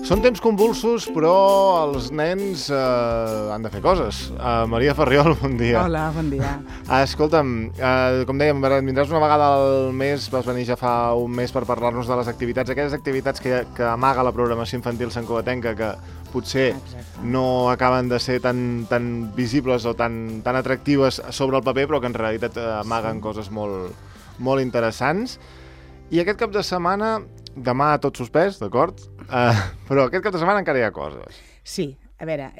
Són temps convulsos, però els nens han de fer coses. Maria Ferriol, bon dia. Hola, bon dia. Escolta'm, com dèiem, vindràs una vegada al mes, vas venir ja fa un mes per parlar-nos de les activitats, aquelles activitats que amaga la programació infantil santcugatenca, que potser no acaben de ser tan visibles o tan atractives sobre el paper, però que en realitat amaguen coses molt interessants. I aquest cap de setmana, demà tot suspès, d'acord? Però aquest cap de setmana encara hi ha coses. Sí, a veure,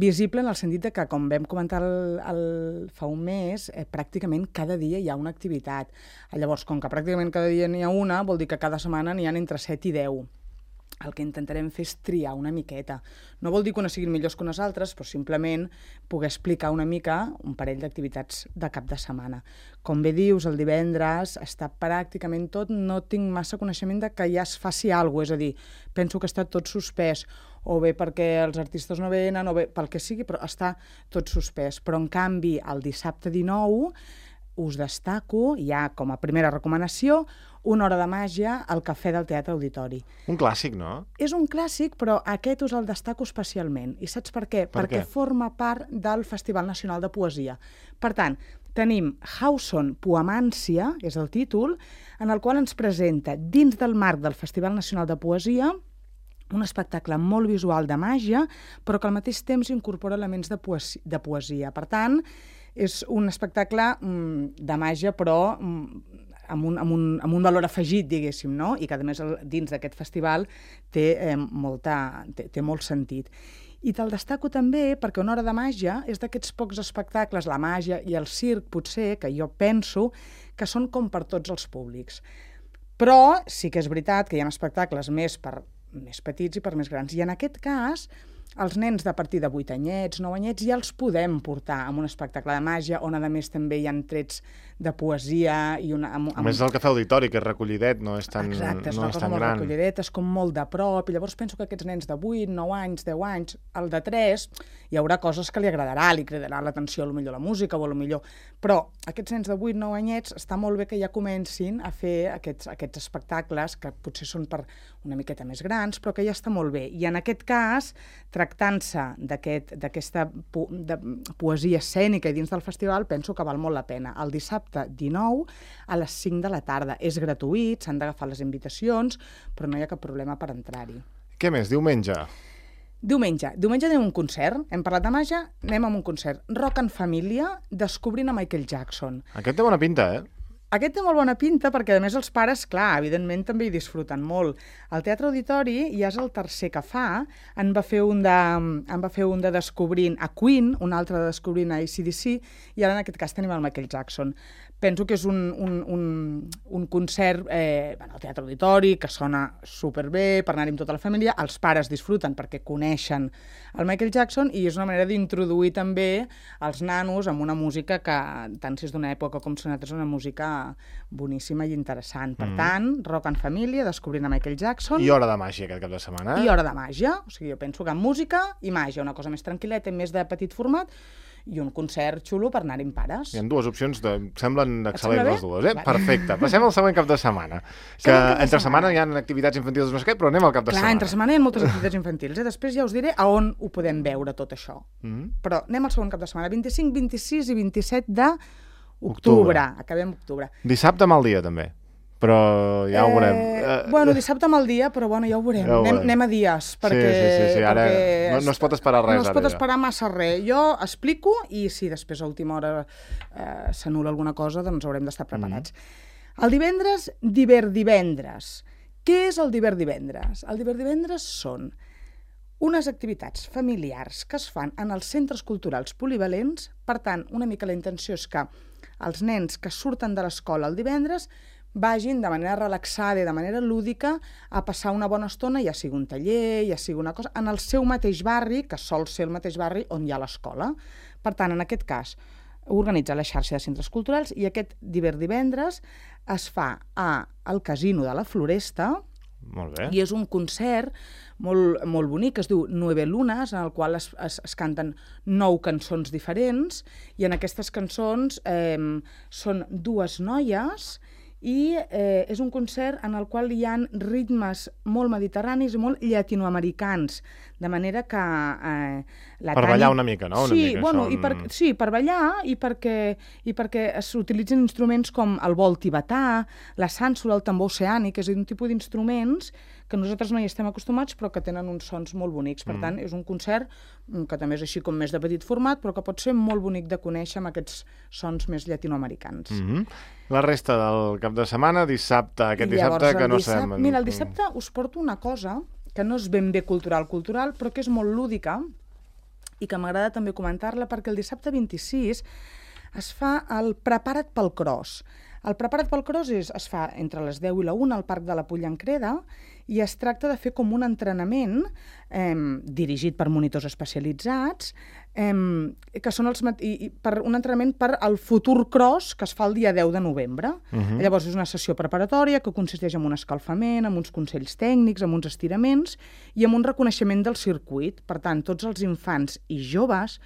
visible en el sentit que, com vam comentar fa un mes, pràcticament cada dia hi ha una activitat. Llavors, com que pràcticament cada dia n'hi ha una, vol dir que cada setmana n'hi ha entre 7 i 10. El que intentarem fer és triar una miqueta. No vol dir que unes siguin millors que unes altres, però simplement poder explicar una mica un parell d'activitats de cap de setmana. Com bé dius, el divendres està pràcticament tot, no tinc massa coneixement de que ja es faci alguna cosa, és a dir, penso que està tot suspès, o bé perquè els artistes no venen, o bé pel que sigui, però està tot suspès. Però, en canvi, el dissabte 19 us destaco, ja com a primera recomanació, una hora de màgia al Cafè del Teatre Auditori. Un clàssic, no? És un clàssic, però aquest us el destaco especialment. I saps per què? Perquè forma part del Festival Nacional de Poesia. Per tant, tenim Hauson Poemància, és el títol, en el qual ens presenta, dins del marc del Festival Nacional de Poesia, un espectacle molt visual de màgia, però que al mateix temps incorpora elements de poesia. Per tant, és un espectacle de màgia, però amb un valor afegit, diguéssim, no? I que, a més, dins d'aquest festival té molt sentit. I te'l destaco també perquè Una hora de màgia és d'aquests pocs espectacles, la màgia i el circ, potser, que jo penso que són com per tots els públics. Però sí que és veritat que hi ha espectacles més per més petits i per més grans. I en aquest cas, els nens de partir de 8 anyets, 9 anyets, ja els podem portar amb un espectacle de màgia, on a més també hi ha trets de poesia. A més és el Cafè Auditori, que és recollidet, no és tan gran. Exacte, és una cosa molt recollidet, és com molt de prop, i llavors penso que aquests nens de 8, 9 anys, 10 anys, el de 3, hi haurà coses que li cridarà l'atenció, potser la música, o potser... Però aquests nens de 8, 9 anyets, està molt bé que ja comencin a fer aquests espectacles, que potser són per una miqueta més grans, però que ja està molt bé. I en aquest cas, tractant-se d'aquesta poesia escènica i dins del festival, penso que val molt la pena. El dissabte 19 a les 5 de la tarda. És gratuït, s'han d'agafar les invitacions, però no hi ha cap problema per entrar-hi. Què més? Diumenge? Diumenge anem a un concert. Hem parlat de màgia, anem a un concert. Rock en família, descobrint a Michael Jackson. Aquest té bona pinta, Aquest té molt bona pinta perquè, a més, els pares, clar, evidentment també hi disfruten molt. El Teatre Auditori ja és el tercer que fa. En va fer un de Descobrint a Queen, un altre de Descobrint a AC/DC, i ara en aquest cas tenim el Michael Jackson. Penso que és un concert al Teatre Auditori, que sona superbé, per anar-hi amb tota la família. Els pares disfruten perquè coneixen el Michael Jackson i és una manera d'introduir també els nanos amb una música que, tant si és d'una època com si és una música boníssima i interessant. Per tant, rock en família, descobrint a Michael Jackson. I hora de màgia aquest cap de setmana. I hora de màgia. O sigui, jo penso que música i màgia, una cosa més tranquil·leta i més de petit format, i un concert xulo per anar-hi amb pares. Hi ha dues opcions, semblen excel·lents les dues, Perfecte. Passem al següent cap de setmana. Que entre setmana hi ha activitats infantils, no sé què, però anem al cap de setmana. Clar, entre setmana hi ha moltes activitats infantils. Després ja us diré a on ho podem veure, tot això. Però anem al següent cap de setmana, 25, 26 i 27 d'octubre. Acabem octubre. Dissabte mal dia, també. Però ja ho veurem. Dissabte mal dia, però ja ho veurem. Anem a dies, perquè... Sí, ara no es pot esperar res. No es pot esperar massa res. Jo explico i si després a última hora s'anul·la alguna cosa, doncs haurem d'estar preparats. El divendres, divendres. Què és el divendres? El divendres són unes activitats familiars que es fan en els centres culturals polivalents. Per tant, una mica la intenció és que els nens que surten de l'escola el divendres vagin de manera relaxada i de manera lúdica a passar una bona estona, ja sigui un taller, ja sigui una cosa, en el seu mateix barri, que sol ser el mateix barri on hi ha l'escola. Per tant, en aquest cas, organitza la xarxa de centres culturals i aquest divendres es fa al Casino de la Floresta. Molt bé. I és un concert molt bonic, que es diu 9 Lunes, en el qual es canten 9 cançons diferents, i en aquestes cançons són dues noies i és un concert en el qual hi ha ritmes molt mediterranis i molt llatinoamericans, de manera que per ballar una mica, no? Sí, sí, per ballar i perquè s'utilitzen instruments com el bol tibetà, la sànsula, el tambor oceànic, és a dir, un tipus d'instruments que nosaltres no hi estem acostumats però que tenen uns sons molt bonics. Per tant, és un concert que també és així com més de petit format, però que pot ser molt bonic de conèixer amb aquests sons més llatinoamericans. La resta del cap de setmana, dissabte, que no sabem... Mira, el dissabte us porto una cosa que no és ben bé cultural, però que és molt lúdica i que m'agrada també comentar-la, perquè el dissabte 26 es fa el Prepara't pel Cross. El Prepara't pel Cross es fa entre les 10 i la 1 al Parc de la Pollancreda i es tracta de fer com un entrenament dirigit per monitors especialitzats, que són un entrenament per al futur cross que es fa el dia 10 de novembre. Llavors és una sessió preparatòria que consisteix en un escalfament, en uns consells tècnics, en uns estiraments i en un reconeixement del circuit. Per tant, tots els infants i joves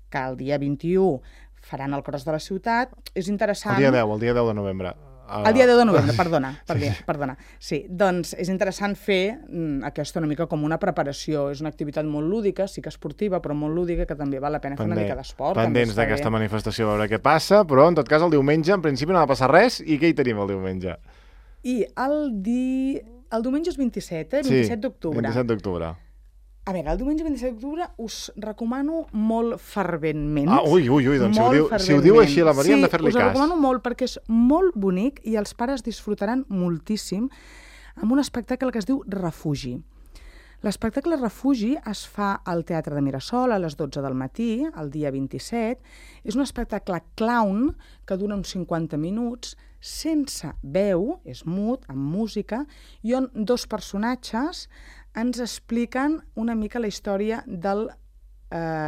que el dia 21 faran el cross de la ciutat, és interessant... El dia 10 de novembre. El dia 10 de novembre, perdona. Sí, doncs és interessant fer aquesta una mica com una preparació. És una activitat molt lúdica, sí que esportiva, però molt lúdica, que també val la pena fer una mica d'esport. Pendents d'aquesta manifestació, a veure què passa, però en tot cas el diumenge en principi no va passar res. I què hi tenim el diumenge? I el diumenge és 27, 27 d'octubre. 27 d'octubre. A veure, el diumenge 27 d'octubre us recomano molt ferventment. Doncs si ho diu així la Maria hem de fer-li cas. Sí, us recomano molt perquè és molt bonic i els pares disfrutaran moltíssim amb un espectacle que es diu Refugi. L'espectacle Refugi es fa al Teatre de Mirasol a les 12 del matí, el dia 27. És un espectacle clown que dura uns 50 minuts, sense veu, és mut, amb música, i on dos personatges ens expliquen una mica la història del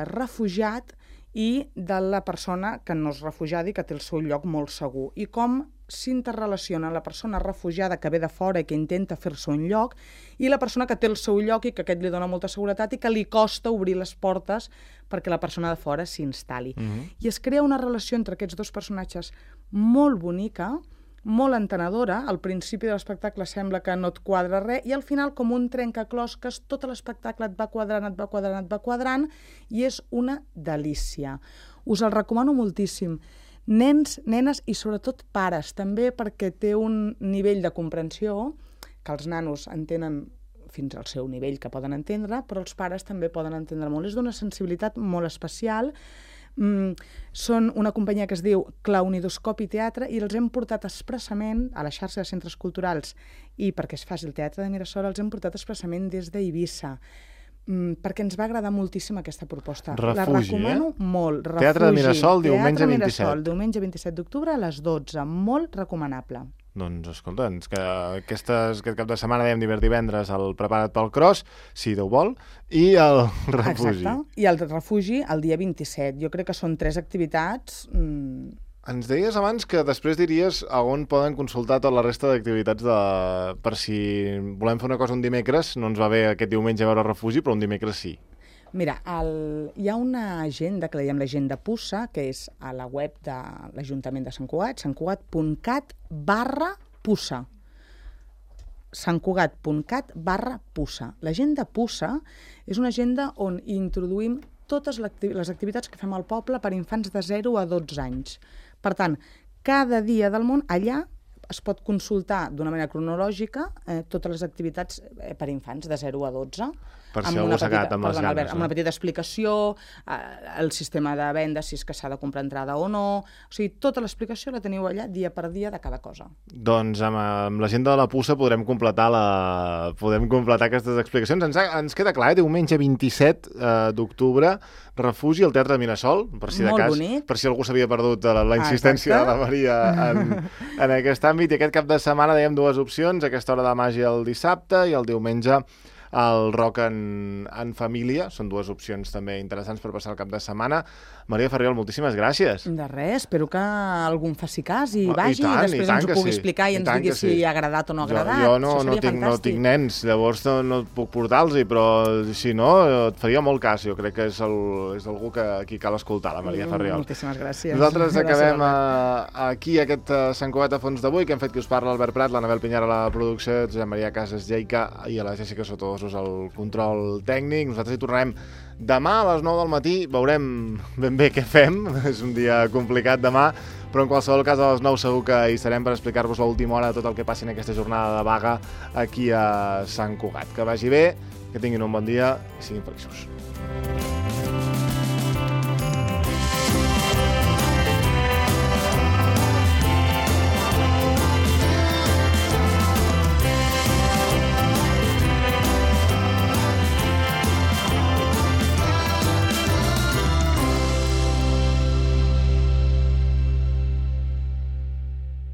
refugiat i de la persona que no és refugiada i que té el seu lloc molt segur. I com s'interrelaciona la persona refugiada que ve de fora i que intenta fer-se un lloc i la persona que té el seu lloc i que aquest li dona molta seguretat i que li costa obrir les portes perquè la persona de fora s'instal·li. I es crea una relació entre aquests dos personatges molt bonica, molt entenedora. Al principi de l'espectacle sembla que no et quadra res i al final, com un trencaclosques, tot l'espectacle et va quadrant i és una delícia. Us el recomano moltíssim. Nens, nenes i sobretot pares, també perquè té un nivell de comprensió que els nanos entenen fins al seu nivell que poden entendre, però els pares també poden entendre molt. És d'una sensibilitat molt especial. Són una companyia que es diu Clownidoscopi Teatre i els hem portat expressament a la xarxa de centres culturals i perquè es faci el Teatre de Mirasol els hem portat expressament des d'Eivissa perquè ens va agradar moltíssim aquesta proposta. Refugi, la recomano molt. Refugi. Teatre de Mirasol, diumenge 27. Mirasol, diumenge 27 d'octubre a les 12. Molt recomanable. Doncs escolta, que aquest cap de setmana dèiem divendres el Prepara't pel Cross, si Déu vol, i el Refugi. Exacte, i el Refugi el dia 27. Jo crec que són 3 activitats... Ens deies abans que després diries a on poden consultar tota la resta d'activitats per si volem fer una cosa un dimecres, no ens va bé aquest diumenge veure Refugi, però un dimecres sí. Mira, hi ha una agenda que la diem l'agenda Pussa, que és a la web de l'Ajuntament de Sant Cugat, santcugat.cat/Pussa. santcugat.cat/Pussa. L'agenda Pussa és una agenda on introduïm totes les activitats que fem al poble per infants de 0 a 12 anys. Per tant, cada dia del món allà es pot consultar d'una manera cronològica totes les activitats per infants de 0 a 12. Per si algú s'ha quedat amb les ganes. Albert, amb una petita explicació, el sistema de venda, si és que s'ha de comprar entrada o no... O sigui, tota l'explicació la teniu allà dia per dia de cada cosa. Doncs amb l'agenda de la Pussa podrem completar aquestes explicacions. Ens queda clar, diumenge 27 d'octubre, Refugi al Teatre de Mirasol, per si de cas, per si algú s'havia perdut la insistència de la Maria en aquest àmbit. I aquest cap de setmana dèiem 2 opcions, aquesta hora de màgia el dissabte i el diumenge el rock en família. Són dues opcions també interessants per passar el cap de setmana. Maria Ferriol, moltíssimes gràcies. De res, espero que algú em faci cas i vagi i després ens ho pugui explicar i ens digui si ha agradat o no ha agradat. Jo no tinc nens, llavors no et puc portar-los, però si no, et faria molt cas. Jo crec que és algú que aquí cal escoltar, la Maria Ferriol. Moltíssimes gràcies. Nosaltres acabem aquí aquest Sant Cugat a fons d'avui, que hem fet que us parla Albert Prat, l'Anabel Pinyar a la producció, Josep Maria Casas Lleica i a la Jessica Sotodosos al control tècnic. Nosaltres hi tornarem demà a les 9 del matí, veurem ben bé què fem, és un dia complicat demà, però en qualsevol cas a les 9 segur que hi serem per explicar-vos a última hora tot el que passi en aquesta jornada de vaga aquí a Sant Cugat. Que vagi bé, que tinguin un bon dia i siguin feliços.